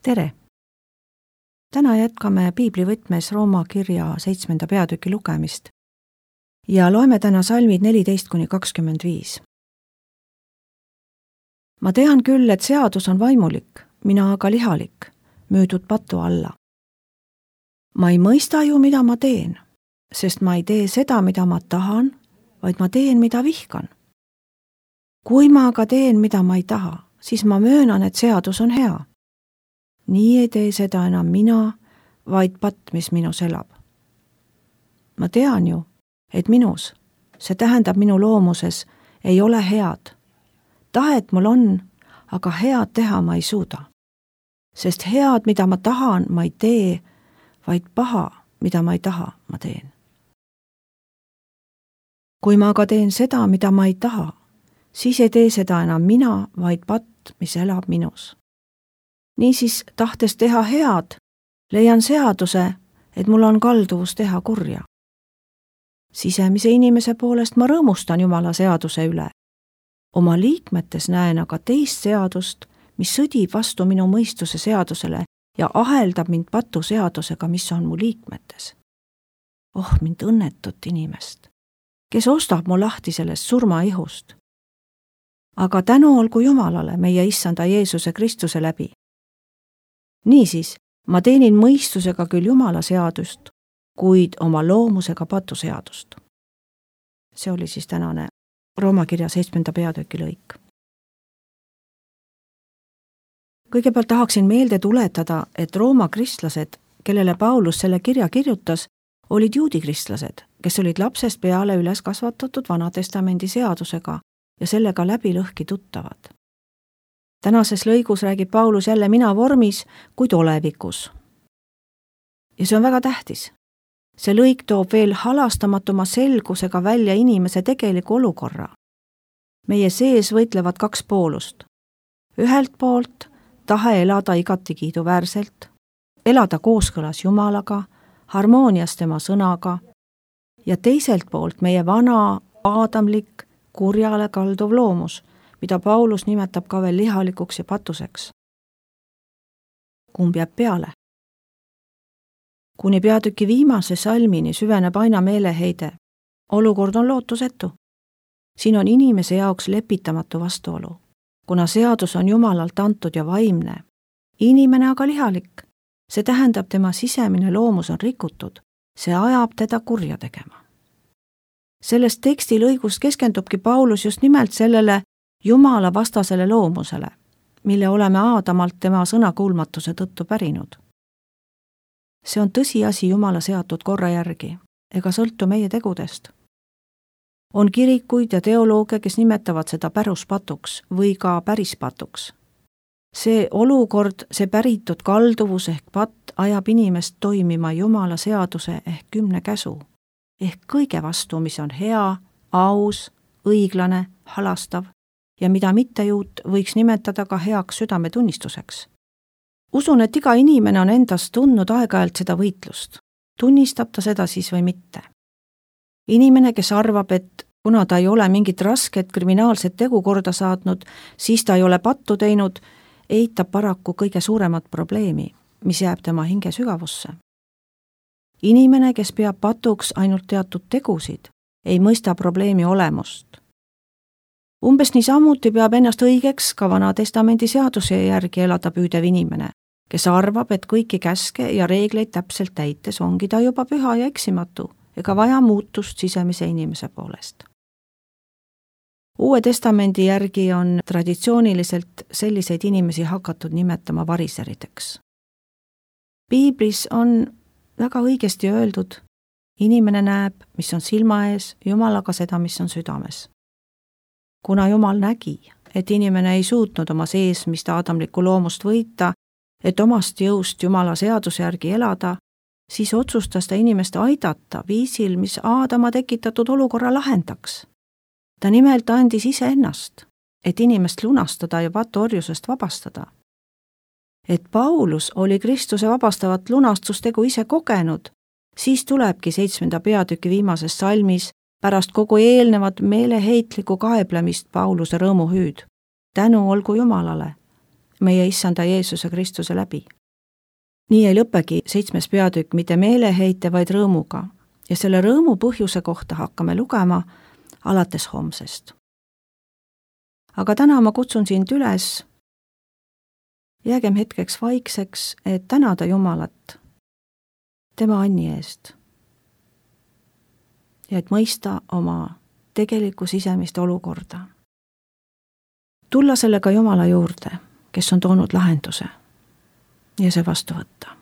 tere! Täna jätkame piiblivõtmes Rooma kirja 7. peatüki lugemist ja loeme täna salmid 14–25. Ma tean küll, et seadus on vaimulik, mina aga lihalik, müüdud patu alla. Ma ei mõista ju, mida ma teen, sest ma ei tee seda, mida ma tahan, vaid ma teen, mida vihkan. Kui ma aga teen, mida ma ei taha, siis ma möönan, et seadus on hea. Nii ei tee seda enam mina, vaid patt, mis minus elab. Ma tean ju, et minus, see tähendab minu loomuses, ei ole head. Tahet mul on, aga head teha ma ei suuda. Sest head, mida ma tahan, ma ei tee, vaid paha, mida ma ei taha, ma teen. Kui ma aga teen seda, mida ma ei taha, siis ei tee seda enam mina, vaid patt, mis elab minus. Niisiis, tahtes teha head, leian seaduse, et mul on kalduvus teha kurja. Sisemise inimese poolest ma rõõmustan Jumala seaduse üle. Oma liikmetes näen aga teist seadust, mis sõdib vastu minu mõistuse seadusele ja aheldab mind patu seadusega, mis on mu liikmetes. Oh, mind õnnetut inimest, kes ostab mu lahti sellest surmaihust. Aga tänu olgu Jumalale meie issanda Jeesuse Kristuse läbi. Niisiis, ma teenin mõistusega küll Jumala seadust, kuid oma loomusega patu seadust. See oli siis tänane Rooma kirja 7. peatüki lõik. Kõigepealt tahaksin meelde tuletada, et Rooma kristlased, kellele Paulus selle kirja kirjutas, olid juudi kristlased, kes olid lapsest peale üles kasvatatud Vanatestamendi seadusega ja sellega läbi lõhki tuttavad. Tänases lõigus räägib Paulus jälle mina vormis, kuid olevikus. Ja see on väga tähtis. See lõik toob veel halastamatuma selgusega välja inimese tegeliku olukorra. Meie sees võitlevad kaks poolust. Ühelt poolt tahe elada igati kiiduväärselt, elada kooskõlas Jumalaga, harmoonias tema sõnaga ja teiselt poolt meie vana, aadamlik, kurjale kalduv loomus, mida Paulus nimetab ka veel lihalikuks ja patuseks. Kumb jääb peale? Kuni peatüki viimase salmini süveneb aina meeleheide. Olukord on lootusetu. Siin on inimese jaoks lepitamatu vastuolu, kuna seadus on Jumalalt antud ja vaimne. Inimene aga lihalik. See tähendab, tema sisemine loomus on rikutud. See ajab teda kurja tegema. Sellest tekstilõigust keskendubki Paulus just nimelt sellele Jumala vastasele loomusele, mille oleme Aadamalt tema sõnakuulmatuse tõttu pärinud. See on tõsiasi Jumala seatud korra järgi, ega sõltu meie tegudest. On kirikuid ja teoloogia, kes nimetavad seda päruspatuks või ka pärispatuks. See olukord, see päritud kalduvus ehk patt ajab inimest toimima Jumala seaduse ehk 10 käsu, ehk kõige vastu, mis on hea, aus, õiglane, halastav ja mida mittejuut võiks nimetada ka heaks südametunnistuseks. Usun, et iga inimene on endast tundnud aeg-ajalt seda võitlust. Tunnistab ta seda siis või mitte? Inimene, kes arvab, et kuna ta ei ole mingit rasket kriminaalset tegu korda saatnud, siis ta ei ole pattu teinud, eitab paraku kõige suuremat probleemi, mis jääb tema hinge sügavusse. Inimene, kes peab patuks ainult teatud tegusid, ei mõista probleemi olemust. Umbes niisamuti peab ennast õigeks ka Vanatestamendi seaduse järgi elada püüdev inimene, kes arvab, et kõiki käske ja reegleid täpselt täites ongi ta juba püha ja eksimatu ega vaja muutust sisemise inimese poolest. Uue testamendi järgi on traditsiooniliselt selliseid inimesi hakatud nimetama variserideks. Piiblis on väga õigesti öeldud, inimene näeb, mis on silma ees, Jumal aga seda, mis on südames. Kuna Jumal nägi, et inimene ei suutnud oma seesmist aadamlikku loomust võita, et omast jõust Jumala seaduse järgi elada, siis otsustas ta inimest aidata viisil, mis Aadama tekitatud olukorra lahendaks. Ta nimelt andis iseennast, et inimest lunastada ja patuorjusest vabastada. Et Paulus oli Kristuse vabastavat lunastustegu ise kogenud, siis tulebki 7. peatüki viimases salmis pärast kogu eelnevat meeleheitlikku kaeblemist Pauluse rõõmuhüüd. Tänu olgu Jumalale. meie issanda Jeesuse Kristuse läbi. nii ei lõpegi 7. peatükk mitte meeleheite, vaid rõõmuga ja selle rõõmu põhjuse kohta hakkame lugema alates homsest. aga täna ma kutsun sind üles, jäägem hetkeks vaikseks, et tänada Jumalat tema anni eest ja et mõista oma tegelikku sisemist olukorda. tulla sellega Jumala juurde, kes on toonud lahenduse ja see vastu võtta.